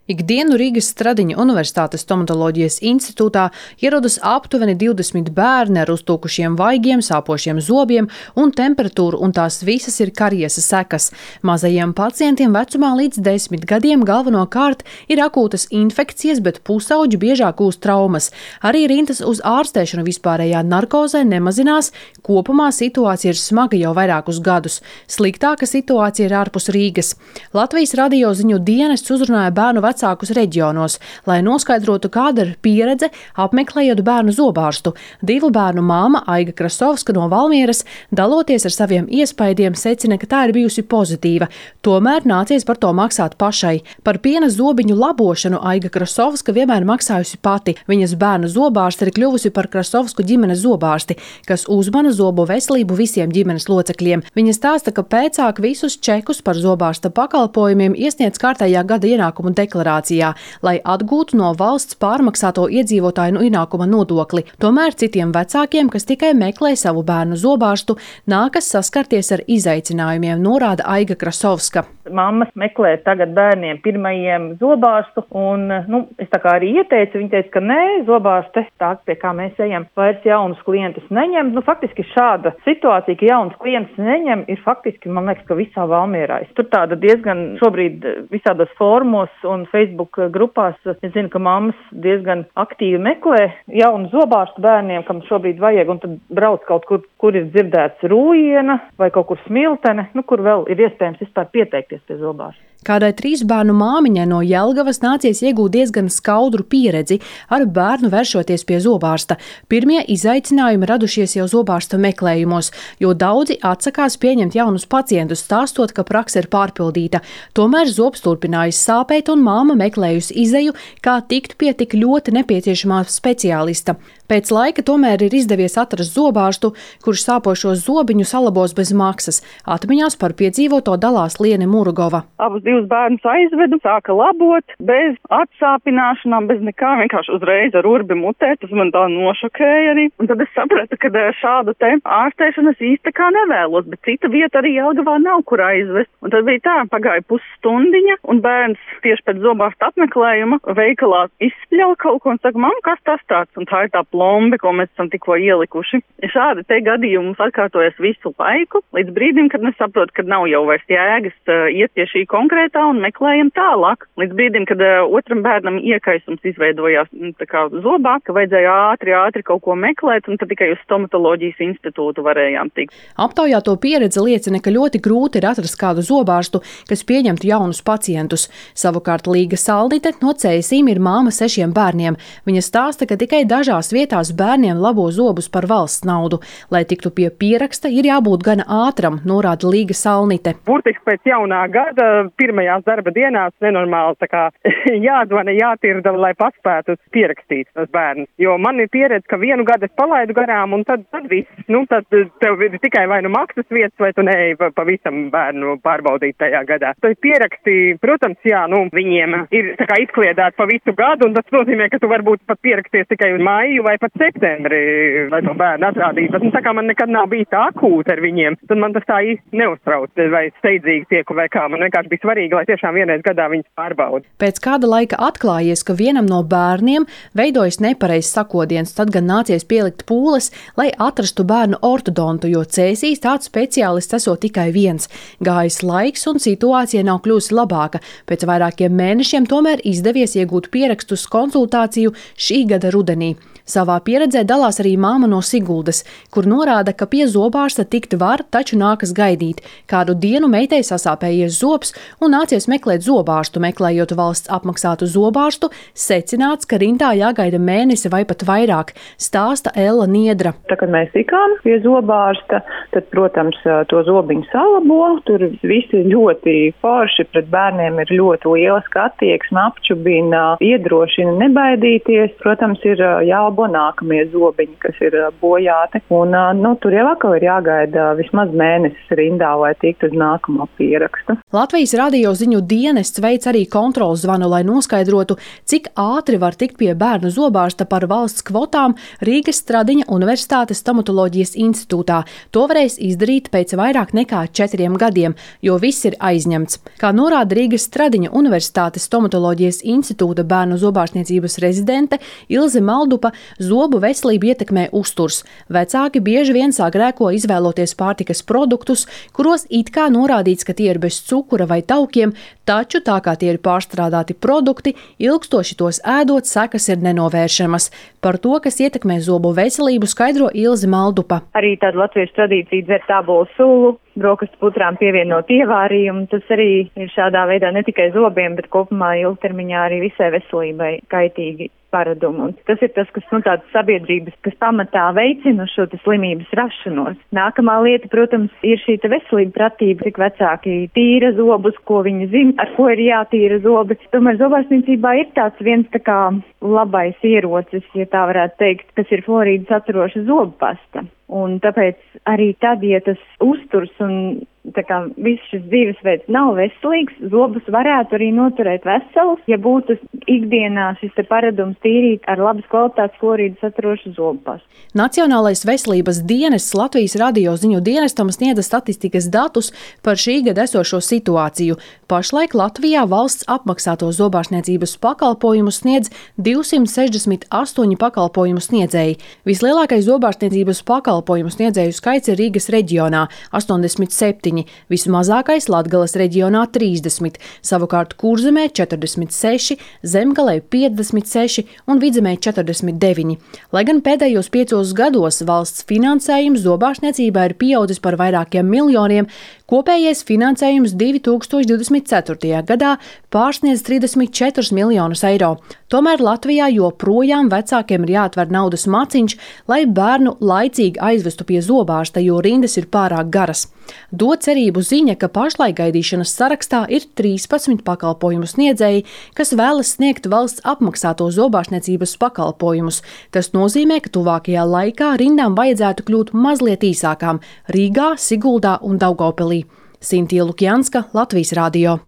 Ikdienu Rīgas Stradiņa Universitātes stomatoloģijas institūtā ierodas aptuveni 20 bērni ar uztūkušiem vaigiem, sāpošiem zobiem un temperatūru, un tās visas ir kariesas sekas. Mazajiem pacientiem vecumā līdz 10 gadiem galvenokārt ir akūtas infekcijas, bet pusauģi biežāk gūst traumas. Arī rindas uz ārstēšanu vispārējā narkozē nemazinās, kopumā situācija ir smaga jau vairākus gadus. Sliktāka situācija ir ārpus Rīgas. Latvijas radio ziņu dienests uzrunāja bērnu vecākus reģionos, lai noskaidrotu, kāda ir pieredze apmeklējot bērnu zobārstu. Divu bērnu māma Aiga Krasovska no Valmieras, daloties ar saviem iespaidiem, secina, ka tā ir bijusi pozitīva. Tomēr nācies par to maksāt pašai. Par piena zobiņu labošanu Aiga Krasovska vienmēr maksājusi pati. Viņas bērnu zobārste ir kļuvusi par Krasovsku ģimenes zobārsti, kas uzmana zobu veselību visiem ģimenes locekļiem. Viņa stāsta, ka pēcāk visus čekus par zobārsta pakalpojumiem iesniedz kārtējā gada ienākumu deklarācijā, lai atgūtu no valsts pārmaksāto iedzīvotāju ienākuma nodokli. Tomēr citiem vecākiem, kas tikai meklē savu bērnu zobārstu, nākas saskarties ar izaicinājumiem, norāda Aiga Krasovska. Mammas meklē tagad bērniem pirmajiem zobārstu, un, es tā kā arī ieteicu, viņa teica, ka nē, zobārste, tā, pie kā mēs ejam, vairs jaunus klientus neņem. Faktiski šāda situācija, ka jaunus klientus neņem, ir faktiski, man liekas, ka visā Valmierā. Tur tāda diezgan šobrīd visādos fórumos un Facebook grupās, es zinu, ka mammas diezgan aktīvi meklē jaunu zobārstu bērniem, kam šobrīd vajag, un tad brauc kaut kur ir dzirdēts Rūjiena vai kaut kur Smiltene, kur vēl ir iespējams vispār pieteikties pie zobārsta. Kādai 3 bērnu māmiņai no Jelgavas nācies iegūt diezgan skaudru pieredzi ar bērnu vēršoties pie zobārsta. Pirmie izaicinājumi radušies jau zobārsta meklējumos, jo daudzi atsakās pieņemt jaunus pacientus, stāstot, ka prakse ir pārpildīta. Tomēr zobs turpinājis sāpēt, un māma meklējusi izeju, kā tikt pie tik ļoti nepieciešamā speciālista. Pēc laika tomēr ir izdevies atrast zobārstu, kurš sāpošos zobiņus salabos bez maksas. Atmiņās par piedzīvoto dalās Liene Murugova. Abus 2 bērnus aizvedu, sāka labot, bez atsāpināšanām, bez nekā, vienkārši uzreiz ar urbi mutē, tas man tā nošokēja arī. Un tad es sapratu, ka šādu te ārstēšanu es īsti kā nevēlos, bet cita vieta arī Jelgavā nav, kur aizvest. Un tad bija tā, pagāja pusstundiņa, un bērns tieši pēc zobārsta apmeklējuma veikalā izspļauj kaut ko un saka, mamma, kas tas tāds? Un tā ir tā plombe, ko mēs esam tikko ielikuši. Šādi te gadījumi mums atkārtojas visu laiku, līdz brīdim, kad mēs saprotam, ka nav jau vairs jēgas iet pie šī konkrētā un meklējam tālāk. Līdz brīdim, kad otram bērnam iekaisums izveidojās tā kā zobā, ka vajadzēja ātri kaut ko meklēt, un tad tikai uz stomatoloģijas institūtu varējām tikt. Aptaujāto pieredze liecina, ka ļoti grūti ir atrast kādu zobārstu, kas pieņemtu jaunus pacientus. Savukārt Līga Salnite no Cēsīm ir māma 6 bērniem. Viņa stāsta, ka tikai dažās vietās bērniem labo zobus par valsts naudu. Lai tiktu pie pieraksta, ir jābūt gana ātram, norāda Līga Salnite. Burtiski pēc jaunā gada pirmajās darba dienās nenormāli tā kā jāzvana, jātirda, lai paspētu pierakstīt tos bērnus. Jo man ir pieredze, ka vienu gadu es palaidu garām, un tad viss. Tad tev ir tikai vai nu maksas vietas, vai tu neej pavisam bērnu pārbaudīt tajā gadā. Tad pieraksti, protams, viņiem ir tā kā izkliedēti pa visu gadu, un tas nozīmē, ka tu varbūt pat pieraksties tikai uz maiju vai pat septembri, lai to bērnu atrādītu. Tā kā man nekad nav bijis tā akūta ar viņiem, tad man tas tā īsti neuztrauc, vai steidzīgi tieku vai kā. Man vienkārši bija svarīgi, lai tiešām vienreiz gadā viņus pārbauda. Pēc kāda laika atklājies, ka vienam no bērniem veidojas nepareizs sakodiens, tad gan nācies pielikt pūles, lai atrastu bērnu ortodontu, jo Cēsīs tāds speciālists esot tikai viens. Gājis laiks un situācija nav kļūsi labāka. Pēc vairākiem mēnešiem tomēr izdevies iegūt pierakstus konsultāciju šī gada rudenī. Savā pieredzē dalās arī māma no Siguldas, kur norāda, ka pie zobārsta tikt var, taču nākas gaidīt. Kādu dienu meitai sasāpējies zobs un nācies meklēt zobārstu. Meklējot valsts apmaksātu zobārstu, secināts, ka rindā jāgaida mēnesi vai pat vairāk, stāsta Ella Niedra. Tā, kad mēs tikām pie zobārsta, tad, protams, to zobiņu salabo. Tur visi ļoti forši, pret bērniem ir ļoti liela attieksme, apčubina, iedrošina nebaidīties. Protams, ir jābūt jālabo nākamie zobiņi, kas ir bojāti. Un, tur jau atkal ir jāgaida vismaz mēnesis rindā, lai tiktu uz nākamo pierakstu. Latvijas radio ziņu dienests veic arī kontroles zvanu, lai noskaidrotu, cik ātri var tikt pie bērnu zobārsta par valsts kvotām Rīgas Stradiņa Universitātes stomatoloģijas institūtā. To varēs izdarīt pēc vairāk nekā 4 gadiem, jo viss ir aizņemts. Kā norāda Rīgas Stradiņa Universitātes stomatoloģijas institūta bērnu zobārstniecības rezidente Ilze Maldupa, zobu veselību ietekmē uzturs. Vecāki bieži vien sāk grēko izvēloties pārtikas produktus, kuros it kā norādīts, ka tie ir bez cukura vai taukiem, taču tā kā tie ir pārstrādāti produkti, ilgstoši tos ēdot sekas ir nenovēršamas. Par to, kas ietekmē zobu veselību, skaidro Ilze Maldupa. Arī tāda latviešu tradīcija dzert ābolu sulu, brokastu putrām pievienot ievārījumu. Tas arī ir šādā veidā ne tikai zobiem, bet kopumā ilgtermiņā arī visai veselībai kaitīgi paradumi. Un tas ir tas, kas tādas sabiedrības, kas pamatā veicina šo slimības rašanos. Nākamā lieta, protams, ir šī veselība pratība, cik vecāki tīra zobus, ko viņi zina, ar ko ir jātīra zobi. Tomēr zobārstniecībā ir tāds viens labais ierocis, ja tā varētu teikt, kas ir fluorīdu saturoša zobpasta. Un tāpēc arī tad, ja tas uzturs un viss šis dzīvesveids nav veselīgs, zobus varētu arī noturēt veselus, ja būtu ikdienā šis paradums tīrīt ar labas kvalitātes fluorīdu saturošu zobpastu. Nacionālais veselības dienests Latvijas radio ziņu dienestam sniedza statistikas datus par šī gada esošo situāciju. Pašlaik Latvijā valsts apmaksāto zobārstniecības pakalpojumus sniedz 268 pakalpojumu sniedzēji. Vislielākais zobārstniecības pakalpojumu sniedzēju skaits ir Rīgas reģionā – 87, vismazākais Latgales reģionā – 30, savukārt Kurzemē – 46, Zemgalē – 56 un Vidzemē – 49. Lai gan pēdējos 5 gados valsts finansējums zobārstniecībā ir pieaudzis par vairākiem miljoniem, kopējais finansējums 2024. gadā pārsniedz 34 miljonus eiro. Tomēr Latvijā joprojām vecākiem ir jāatver naudas maciņš, lai bērnu laicīgi aizvestu pie zobārsta, jo rindas ir pārāk garas. Dod cerību ziņa, ka pašlaik gaidīšanas sarakstā ir 13 pakalpojumu sniedzēji, kas vēlas sniegt valsts apmaksāto zobārstniecības pakalpojumus. Tas nozīmē, ka tuvākajā laikā rindām vajadzētu kļūt mazliet īsākām Rīgā, Siguldā un Daugavpilī. Sintija Lukjanska, Latvijas radio.